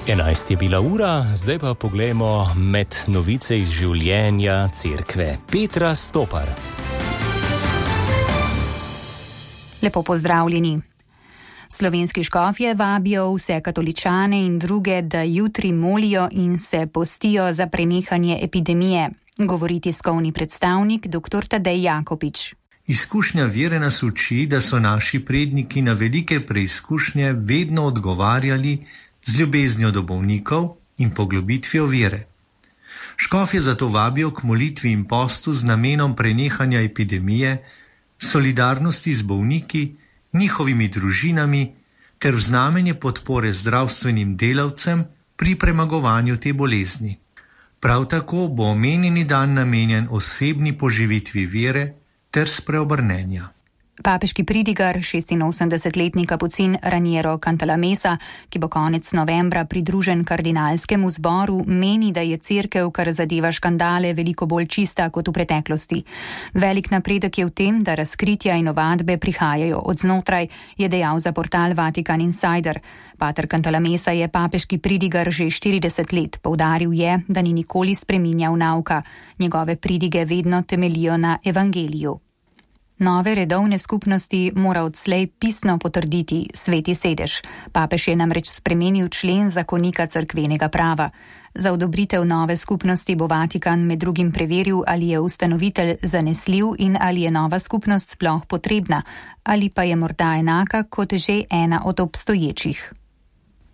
11 je bila ura, zdaj pa poglejmo med novice iz življenja cerkve. Petra Stopar. Lepo pozdravljeni. Slovenski škofje vabijo vse katoličane in druge, da jutri molijo in se postijo za prenehanje epidemije, govori tiskovni predstavnik dr. Tadej Jakopič. Izkušnja vere nas uči, da so naši predniki na velike preizkušnje vedno odgovarjali z ljubeznijo do bolnikov in poglobitvijo vere. Škofje zato vabijo k molitvi in postu z namenom prenehanja epidemije, solidarnosti z bolniki, njihovimi družinami ter v znamenje podpore zdravstvenim delavcem pri premagovanju te bolezni. Prav tako bo omenjeni dan namenjen osebni poživitvi vere ter spreobrnenja. Papeški pridigar, 86-letni kapucin Raniero Cantalamessa, ki bo konec novembra pridružen kardinalskemu zboru, meni, da je cerkev, kar zadeva škandale, veliko bolj čista kot v preteklosti. Velik napredek je v tem, da razkritja in ovadbe prihajajo od znotraj, je dejal za portal Vatican Insider. Pater Cantalamessa je papeški pridigar že 40 let. Poudaril je, da ni nikoli spreminjal nauka. Njegove pridige vedno temeljijo na evangeliju. Nove redovne skupnosti mora odslej pisno potrditi Sveti sedež. Papež je namreč spremenil člen zakonika cerkvenega prava. Za odobritev nove skupnosti bo Vatikan med drugim preveril, ali je ustanovitelj zanesljiv in ali je nova skupnost sploh potrebna, ali pa je morda enaka kot že ena od obstoječih.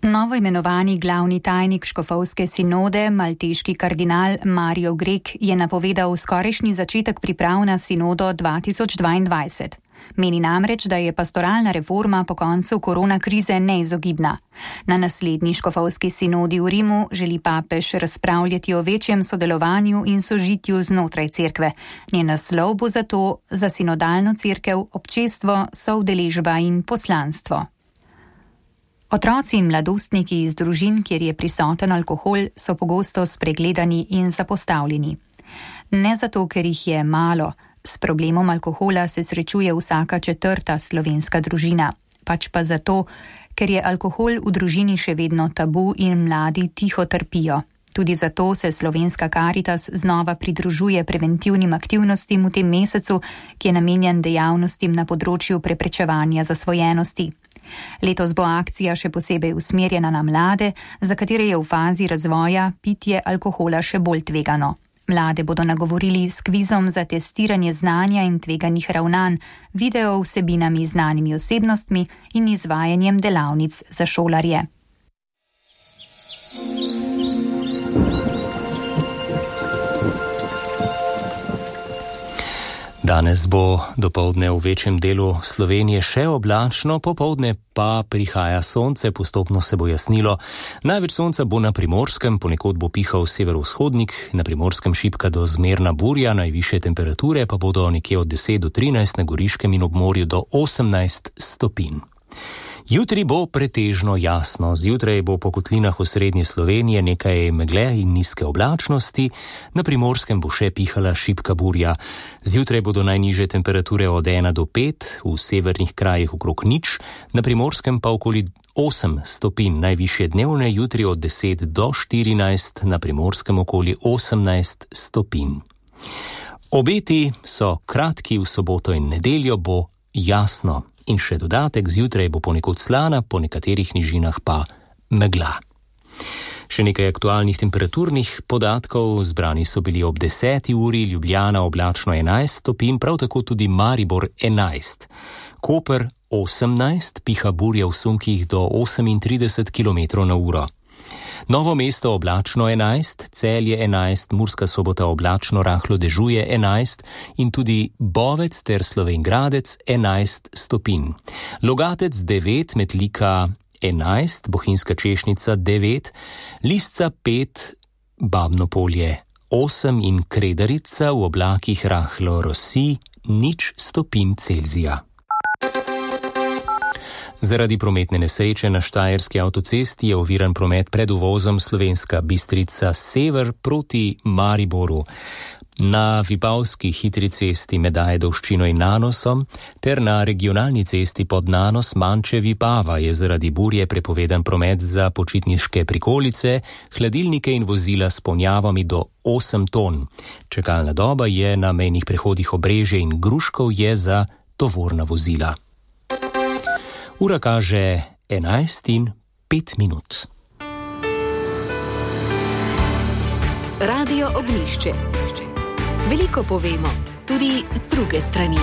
Novo imenovani glavni tajnik škofovske sinode, malteški kardinal Mario Grek, je napovedal skorajšnji začetek priprav na sinodo 2022. Meni namreč, da je pastoralna reforma po koncu korona krize neizogibna. Na naslednji škofovski sinodi v Rimu želi papež razpravljati o večjem sodelovanju in sožitju znotraj cerkve. Njen naslov bo zato za sinodalno cerkev občestvo, soudeležba in poslanstvo. Otroci in mladostniki iz družin, kjer je prisoten alkohol, so pogosto spregledani in zapostavljeni. Ne zato, ker jih je malo. S problemom alkohola se srečuje vsaka 4. slovenska družina. Pač pa zato, ker je alkohol v družini še vedno tabu in mladi tiho trpijo. Tudi zato se Slovenska Karitas znova pridružuje preventivnim aktivnostim v tem mesecu, ki je namenjen dejavnostim na področju preprečevanja zasvojenosti. Letos bo akcija še posebej usmerjena na mlade, za katere je v fazi razvoja pitje alkohola še bolj tvegano. Mlade bodo nagovorili s kvizom za testiranje znanja in tveganih ravnanj, video vsebinami znanimi osebnostmi in izvajanjem delavnic za šolarje. Danes bo dopoldne v večjem delu Slovenije še oblačno, popoldne pa prihaja sonce, postopno se bo jasnilo. Največ sonca bo na Primorskem, ponekod bo pihal severovzhodnik, na Primorskem šibka do zmerna burja, najvišje temperature pa bodo nekje od 10 do 13, na Goriškem in ob morju do 18 stopinj. Jutri bo pretežno jasno, zjutraj bo po kotlinah osrednje Slovenije nekaj megle in nizke oblačnosti, na Primorskem bo še pihala šibka burja. Zjutraj bodo najnižje temperature od 1 do 5, v severnih krajih okrog 0, na Primorskem pa okoli 8 stopinj, najvišje dnevne jutri od 10 do 14, na Primorskem okoli 18 stopinj. Obeti so kratki, v soboto in nedeljo bo jasno. In še dodatek, zjutraj bo ponekod slana, po nekaterih nižinah pa megla. Še nekaj aktualnih temperaturnih podatkov. Zbrani so bili ob 10. uri, Ljubljana oblačno 11 stopinj, prav tako tudi Maribor 11. Koper 18, piha burja v sunkih do 38 km na uro. Novo mesto oblačno 11, Celje 11, Murska Sobota oblačno rahlo dežuje 11 in tudi Bovec ter Slovenj Gradec 11 stopinj. Logatec 9, Metlika 11, Bohinjska Češnica 9, Lisca 5, Babno Polje 8 in Kredarica v oblakih rahlo rosi 0 stopinj Celzija. Zaradi prometne nesreče na Štajerski avtocesti je oviran promet pred uvozom Slovenska Bistrica sever proti Mariboru. Na Vipavski hitri cesti med Ajdovščino in Nanosom ter na regionalni cesti pod Nanos Manče Vipava je zaradi burje prepovedan promet za počitniške prikolice, hladilnike in vozila s ponjavami do 8 ton. Čakalna doba je na mejnih prehodih Obrežje in Gruškov je za tovorna vozila. Ura kaže 11:05. Radio Ognjišče. Veliko povemo, tudi z druge strani.